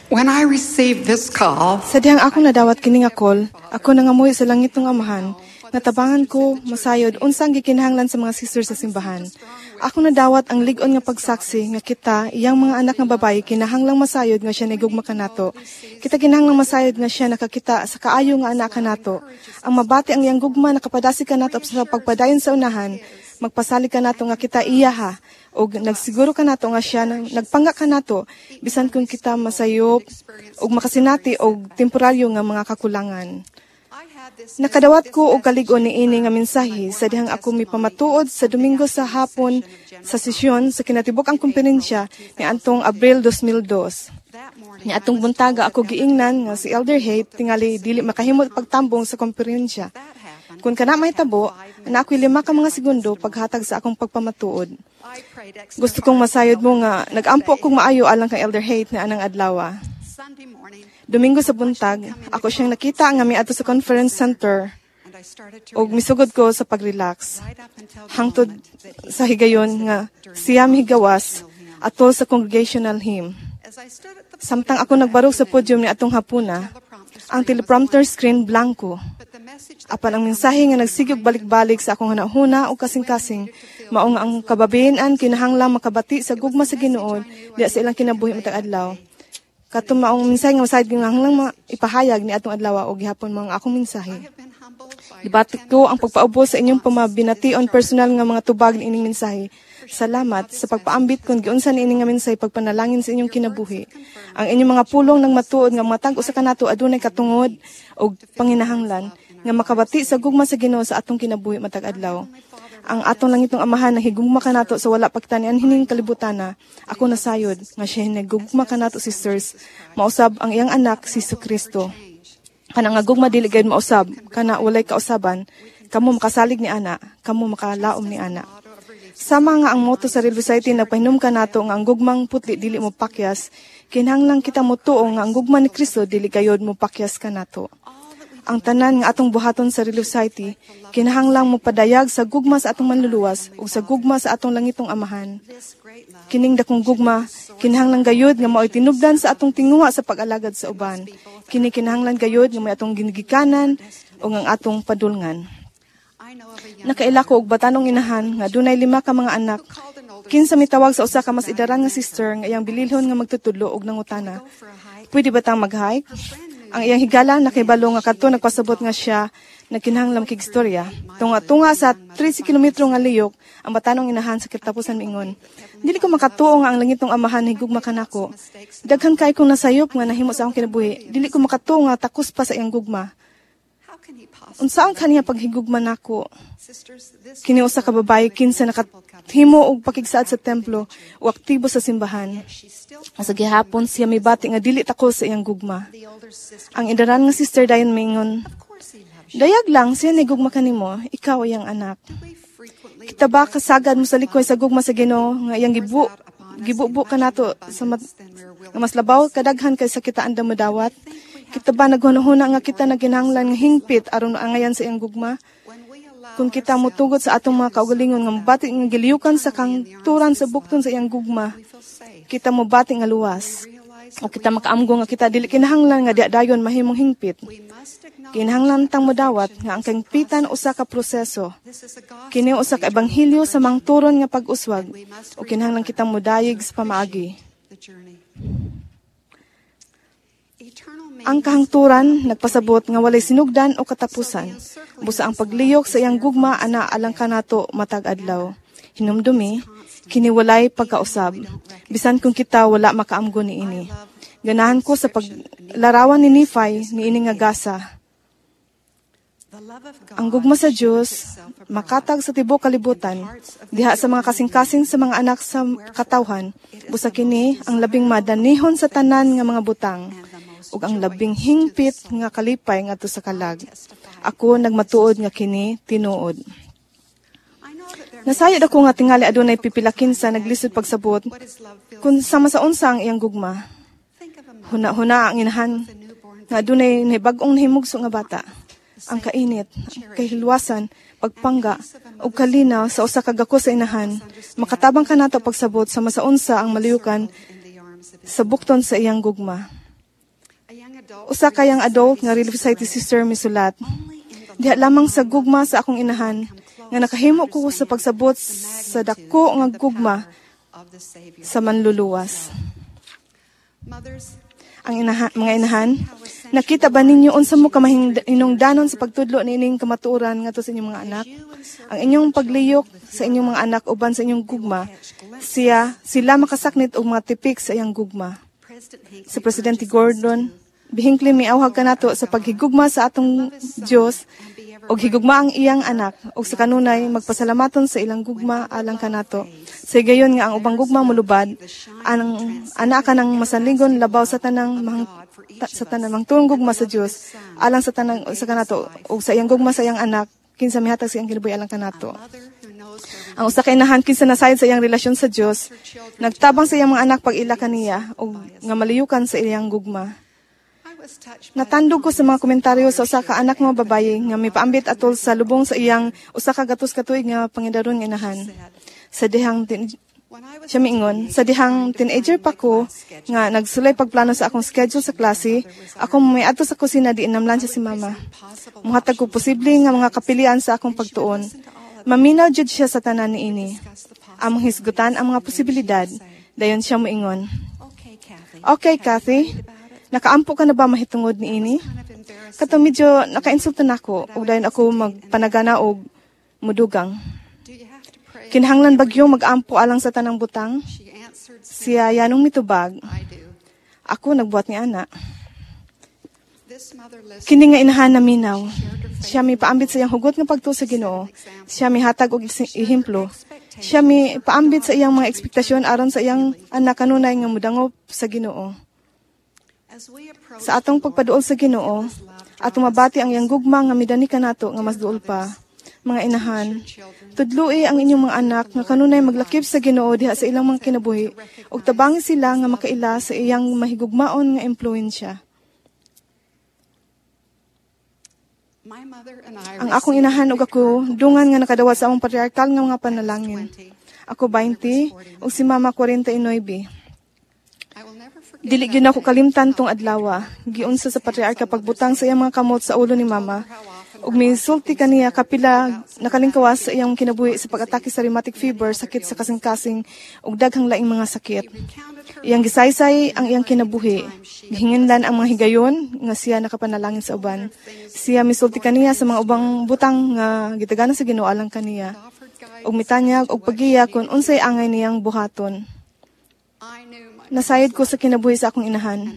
When I received this call, Sa dihang akong nadawat kini nga call, ako nangamuyo sa langitnong Amahan, nga tabangan ko masayod unsang gikinahanglan sa mga sisters sa simbahan. Ako nadawat ang lig-on nga pagsaksi nga kita, iyang mga anak nga babayi, kinahanglang masayod nga siya nigugma kanato. Kita kinahanglang masayod nga siya nakakita sa kaayo nga anak kanato. Ang mabati ang iyang gugma nakapadasig kanato sa pagpadayon sa unahan, magpasalig kanato nga kita iyaha og nagsiguro kanato nga siya nagpangga kanato bisan kung kita masayop og makasinati og temporaryo nga mga kakulangan. Nakadawat ko og kalig-on niini nga mensahe sa dihang ako mipamatuod sa Domingo sa hapon sa sesyon sa kinatibuk-ang komperensya ni antong Abril 2002. Ni atong buntaga, ako giingnan nga si Elder Haight tingali dili makahimo pagtambong sa komperensya. Kung kana mahitabo, naa ako'y 5 ka mga segundo paghatag sa akong pagpamatuod. Gusto kong masayod mo nga nagampo akong maayo alang kang Elder Haight na anang adlaw. Domingo sa buntag, ako siyang nakita nga miadto sa conference center ug misugod ko sa pagrelax. Hangtod sa higayon nga siya mihigawas atol sa congregational hymn. Samtang ako nagbarog sa podium ni atong hapuna, ang teleprompter screen blanco. Apan ang mensahe nga nagsigog balik-balik sa akong hunahuna o kasing-kasing, mao nga ang kababayen-an kinahanglang makabati sa gugma sa Ginoo diya sa ilang kinabuhi matag adlaw. Kato maong mensahe nga masayod kinahanglang ipahayag ni atong adlaw o gihapon mga akong mensahe. Gibatik ko ang pagpaubos sa inyong pamabination personal nga mga tubag ni ining mensahe. Salamat sa pagpaambit kung giunsa ni ining nga mensahe pagpanalangin sa inyong kinabuhi. Ang inyong mga pulong nang matuod nga matag usa kanato adunay katungod og panginahanglan nga makabati sa gugma sa Ginoo sa atong kinabuhi matag adlaw. Ang atong langitong Amahan nahigugma kanato sa wala pagtanian hining kalibutana. Ako nasayod nga siya nagugma kanato, sisters. Mausab ang iyang anak si Kristo. Kana nga gugma dili gayud mausab, kana walay kausaban, kamo makasalig ni ana, kamo makalaom ni ana. Sama nga ang motto sa Relief Society nagpahinom kanato nga ang gugmang putli dili mo pakyas, kinahanglan kita motuo nga ang gugma ni Kristo dili gayud mo pakyas kanato. Ang tanan nga atong buhaton sa Relief Society, kinahanglang mopadayag sa gugma sa atong Manluluwas ug sa gugma sa atong langitong Amahan. Kining dakong gugma, kinahanglan gayud nga mao'y tinubdan sa atong tinguha sa pag-alagad sa uban. Kini kinahanglan gayud nga may atong ginigikanan ug ang atong padulngan. Nakaila ko og batanong inahan nga dunay 5 ka mga anak. Kinsa mitawag sa usa ka mas idaran nga sister nga iyang bililhon nga magtutudlo og nangutana, "Pwede ba tang mag-hike?" Ang iyang higala nakibalo nga kadto nagpasabot nga siya nagkinahanglan makigstorya. Tunga-tunga sa 13 kilometro nga liyok, ang batanong inahan sa katapusan miingon, "Dili ko makatuo nga ang langitong Amahan higugma kanako. Daghan kay kong nasayop nga nahimo sa akong kinabuhi. Dili ko makatuo nga takos pa sa iyang gugma. Unsaon kaniya paghigugma nako?" Kini usa ka babaye kinsa nakahimo og pakigsaad sa templo o aktibo sa simbahan. Sa gihapon siya mibati nga dili takos sa iyang gugma. Ang idaran nga sister dayon mingon, "Dayag lang siya ni gugma kanimo, ikaw iyang anak." Kita ba kasagad mo sa likoy sa gugma sa Ginoo nga iyang gibubo kanato sa nga mas labaw kadaghan kaysa kita andam modawat? Kita ba naghunahuna nga kita naginahanglan nga hingpit aron maangayan sa iyang gugma? Kung kita motugot sa atong mga kaugalingon nga mobati nga giliyukan sa kangturan sa bukton sa iyang gugma, kita mobati nga luwas. O kita makaamgo nga kita dili kinahanglan nga diya dayon mahimong hingpit. Kinahanglan tang modawat nga ang kahingpitan usa ka proseso. Kini usa ka ebanghelyo sa mangturon nga pag-uswag o kinahanglan kitang modayeg sa pamaagi. Ang kahangturan nagpasabot nga walay sinugdan o katapusan. Busa ang pagliyok sa iyang gugma ana alang kanato matag adlaw. Hinumdumi, kini walay pagkausab. Bisan kung kita wala makaamgo niini. Ganahan ko sa paglarawan ni Nephi niini nga gasa. Ang gugma sa Dios makatag sa tibuok kalibutan, diha sa mga kasing-kasing sa mga anak sa katawhan. Busa kini ang labing madanihon sa tanan nga mga butang ug ang labing hingpit nga kalipay ngadto sa kalag. Ako nagmatuod nga kini tinuod. Nasayod ako nga tingali adunay pipilakin sa naglisod pagsabot kung sama sa unsa ang iyang gugma. Huna-huna ang inahan nga adunay nahibag-ong nahimugso nga bata. Ang kainit, ang kahilwasan, pagpangga, ug kalinaw sa usa ka gako sa inahan, makatabang kanato pagsabot sama sa unsa ang maliyukan sa bukton sa iyang gugma. Usa ka young adult nga Relief Society sister misulat, "Diha lamang sa gugma sa akong inahan nga nakahimo ko sa pagsabot sa dako nga gugma sa Manluluwas." Ang inahan, mga inahan, nakita ba ninyo unsa mo kamahinungdanon sa pagtudlo niining kamatuoran ngadto sa inyong mga anak? Ang inyong pagliyok sa inyong mga anak uban sa inyong gugma, sila makasaknit og mga tipik sa iyang gugma. Si Presidente Gordon B. Hinckley miawhag kanato sa paghigugma sa atong Dios og higugma ang iyang anak og sa kanunay magpasalamaton sa ilang gugma alang kanato. Sa higayon nga ang ubang gugma molubad, ang ana ka ng masanligon labaw sa tanang mahang, ta, sa tanang mangtuong gugma sa Dios alang sa tanang sa kanato ug sa iyang gugma sa iyang anak kinsa mihatag sa iyang kinabuhi alang kanato. Ang usa ka inahan kinsa nasayod sa iyang relasyon sa Dios, nagtabang sa iyang mga anak pag-ila kaniya ug nga maliyukan sa iyang gugma. Natandog ko sa mga komentaryo sa usa ka anak nga babaye nga mipaambit atol sa lubong sa iyang 100 ka tuig nga pangidaron nga inahan. Siya miingon, "Sa dihang teenager pa ko nga nagsulay pagplano sa akong schedule sa klase, ako miadto sa kusina diin namlansya si Mama. Muhatag ko posible nga mga kapilian sa akong pagtuon. Maminaw jud siya sa tanan niini. Among hisgutan ang mga posibilidad. Dayon siya moingon, 'Okay, Kathy, nakaampo ka na ba mahitungod niini?' Kato medyo nakainsulto nako ug dayon ako magpanagana og mudugang. 'Kinahanglan bagyong mag-ampo alang sa tanang butang?' Siya yanong mitubag, 'Ako nagbuhat ni ana.'" Kini nga inahan naminaw. Siya mipaambit sa iyang hugot nga pagtuo sa Ginoo. Siya mihatag og ehemplo. Siya mipaambit sa iyang mga ekspektasyon aron sa iyang anak kanunay nga modangop sa Ginoo. Sa atong pagpaduol sa Ginoo, atong mabati ang iyang gugma nga midani kanato nga mas duol pa. Mga inahan, tudloi ang inyong mga anak nga kanunay maglakip sa Ginoo diha sa ilang mga kinabuhi ug tabangi sila nga makaila sa iyang mahigugmaon nga impluwensya. Ang akong inahan ug ako dungan nga nakadawat sa among patriarkal nga mga panalangin. Ako 20 ug si Mama 49. Dili gyud nako kalimtan tong adlawa. Giunsa sa patriarka pagbutang sa iyang mga kamot sa ulo ni Mama. Ug misulti kaniya kapila nakalingkawas sa iyang kinabuhi sa pag-atake sa rheumatic fever, sakit sa kasing-kasing ug daghang laing mga sakit. Iyang gisaysay ang iyang kinabuhi. Gihinginlan ang mga higayon nga siya nakapanalangin sa uban. Siya misulti kaniya sa mga ubang butang nga gitaganan sa Ginoo alang kaniya. Ug mitanyag og pagiya kung unsay angay niyang buhaton. Nasayod ko sa kinabuhi sa akong inahan.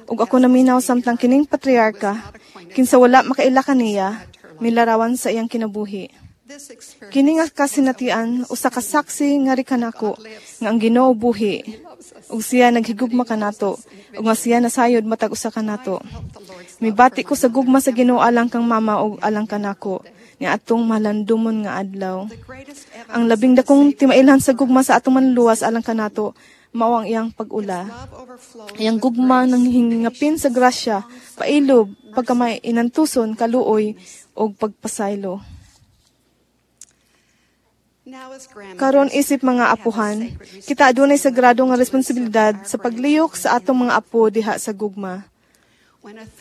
Ug ako naminaw samtang kining patriarka, kinsa wala makaila kaniya, milarawan sa iyang kinabuhi. Kini nga kasinatian, usa ka saksi nga kanako, nga ang Ginoo buhi, ug siya naghigugma kanato, ug nga siya nasayod matag usa kanato. Mibati ko sa gugma sa Ginoo alang kang Mama ug alang kanako, ni atong malandumon nga adlaw. Ang labing dakong timailhan sa gugma sa atong Manluluwas alang kanato, mao ang iyang pag-ula. Iyang gugma nang hingapin sa grasya, pailob, pagkamay inantuson, kaluoy, og pagpasaylo. Karon isip mga apuhan, kita adunay sagrado nga responsibilidad sa pagliyok sa atong mga apo diha sa gugma.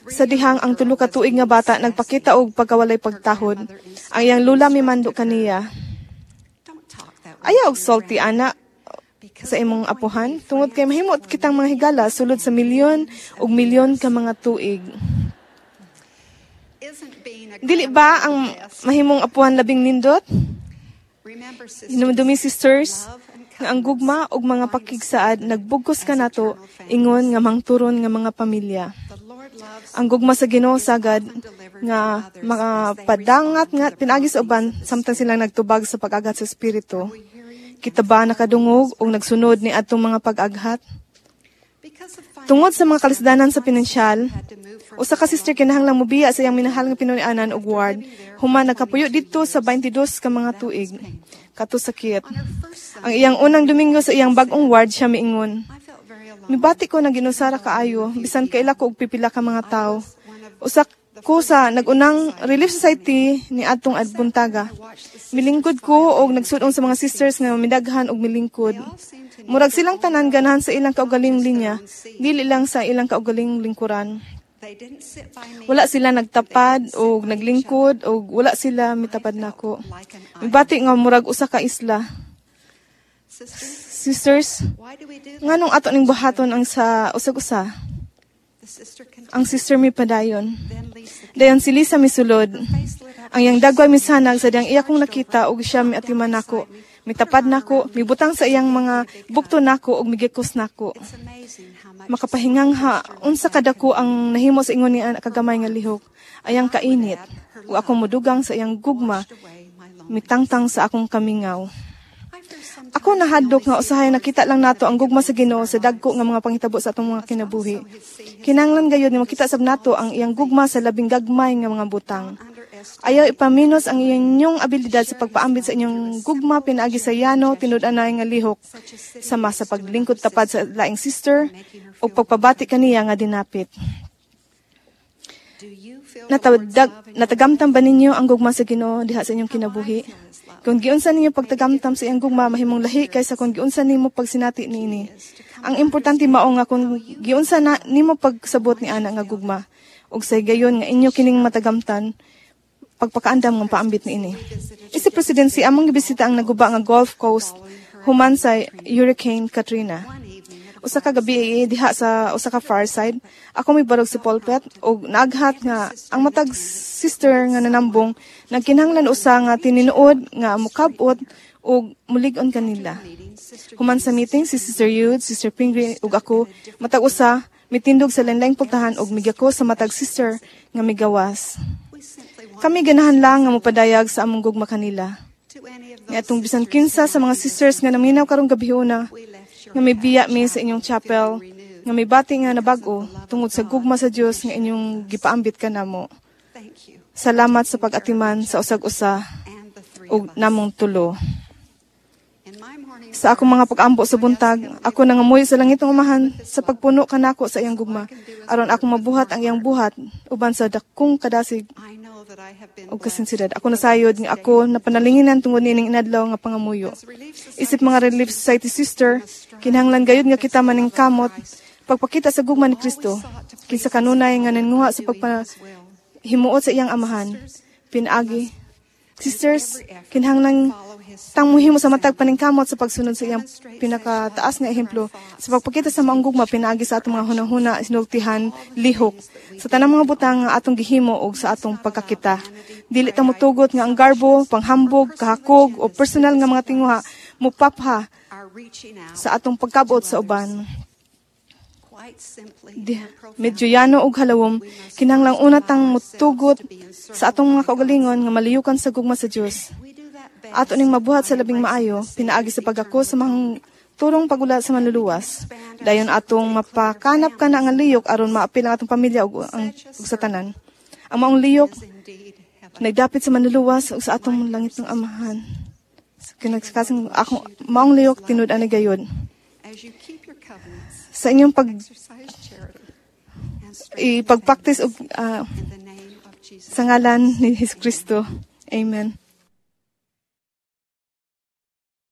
Sa dihang ang 3 ka tuig nga bata nagpakita og pagkawalay pagtahod, ang iyang lula mimando kaniya. "Ayaw og salty, ana, sa imong apuhan, tungod kay mahimot kitang mga higala sulod sa milyon ug milyon ka mga tuig. Dili ba ang mahimong apuhan labing nindot? Hinumdumi, sisters, nga ang gugma ug mga pakigsaad nagbugkos kanato ingon nga mangturon nga mga pamilya. Ang gugma sa Ginoo sagad nga mga padangat nga pinaagi sa uban samtang silang nagtubag sa pag-aghat sa Espiritu. Kita ba nakadungog o nagsunod ni atong mga pag-aghat? Tungod sa mga kalisdanan sa pinansyal, usa ka sister kinahanglang mobiya sa iyang minahal nga pinunianan og ward, human nagkapuyo didto sa 22 ka mga tuig. Kato sakit. Ang iyang unang Domingo sa iyang bag-ong ward, siya miingon, "Mibati ko na ginusara kaayo, bisan kaila ko og pipila ka mga tawo. Usa ko sa nag-unang Relief Society ni atong adbuntaga. Milingkod ko og nagsud-ong sa mga sisters nga midaghan og milingkod. Murag silang tanan ganahan sa ilang kaugaling linya, dili lang sa ilang kaugaling lingkuran." Wala sila nagtapad og naglingkod og wala sila mitapad nako. Mibati nga murag usa ka isla. Sisters, nganong ato ning buhaton ang sa usag-usa? Ang sister mipadayon. Dayon si Lisa misulod. Ang iyang dagway misanag sa diyang iya kong nakita og siya miatiman nako. Mitapad nako, mibutang sa iyang mga bukto nako og migikos nako. Makapahingangha unsa kadako ang nahimo sa ingon ni kagamay nga lihok. Ayang kainit ug ako modugang sa iyang gugma, mitangtang sa akong kamingaw. Ako nahadlok nga usahay nakita lang nato ang gugma sa Ginoo sa dagko nga mga panghitabo sa atong mga kinabuhi. Kinahanglan gayud nga makita sab nato ang iyang gugma sa labing gagmay nga mga butang. Ayaw ipaminos ang inyong abilidad sa pagpaambit sa inyong gugma pinaagi sa yano tinud-anay nga lihok, sama sa paglingkod tapad sa laing sister o pagpabati kaniya nga dinapit. Natagamtam ba ninyo ang gugma sa Ginoo diha sa inyong kinabuhi? Kung giunsa ninyo pagtagamtam sa iyang gugma, mahimong lahi kaysa kung giunsa nimo pagsinati niini. Ang importante mao nga kung giunsa na nimo pagsabot ni ana nga gugma ug sa higayon nga inyo kining matagamtan, pagpakaandam nga paambit niini. Isip presidency, among gibisita ang naguba nga Gulf Coast human sa Hurricane Katrina. Usa ka gabi diha sa usa ka fireside, ako mibarog sa pulpit og naaghat nga ang matag sister nga nanambong nagkinahanglan usa nga tininuod nga mukab-ot og mulig-on kanila. Human sa meeting, si Sister Youth, Sister Pingree ug ako matag usa mitindog sa lain-laing pultahan og migako sa matag sister nga migawas. Kami ganahan lang nga mopadayag sa among gugma kanila. Nga atong bisan kinsa sa mga sisters nga naminaw karong gabhiona, nga mibiya mi sa inyong chapel, nga mibati nga nabag-o tungod sa gugma sa Dios nga inyong gipaambit kanamo. Salamat sa pag-atiman sa usag-usa ug namong tulo. Sa akong mga pag-ampo sa buntag, ako nangamuyo sa langitong Amahan sa pagpuno kanako sa iyang gugma, aron akong mabuhat ang iyang buhat uban sa dakong kadasig ug kasinsidad. Ako nasayod nga ako napanalinginan tungod niining inadlaw nga pangamuyo. Isip mga Relief Society sister, kinahanglan gayud nga kita maningkamot pagpakita sa gugma ni Kristo, kinsa kanunay nga nanguha sa pagpahimuot sa iyang Amahan. Pinaagi. Sisters, kinahanglan tang muhimo sa matag paningkamot sa pagsunod sa iyang pinakataas nga ehemplo sa pagpakita sa maong gugma pinaagi sa atong mga hunahuna, sinultihan, lihok, sa tanang mga butang nga atong gihimo og sa atong pagkakita. Dili ta motugot nga ang garbo, panghambog, kahakog o personal nga mga tinguha mupapha sa atong pagkabot sa uban. Di, medyo yano og halawom, kinahanglang una tang mutugot sa atong mga kaugalingon nga maliyukan sa gugma sa Dios. Ato ning mabuhat sa labing maayo, pinaagi sa pagako sa mga turong pagula sa manluluwas. Dayon atong mapakanap kana nga liyok aron maapil ang atong pamilya ug ang ug sa tanan. Ang maong liyok nagdapit sa manluluwas ug sa atong langitnong Amahan. Kinagkasing akong maong liyok tinud-an gayod. Sa inyong pag ipagpraktis og sa ngalan ni Hesus Kristo. Amen.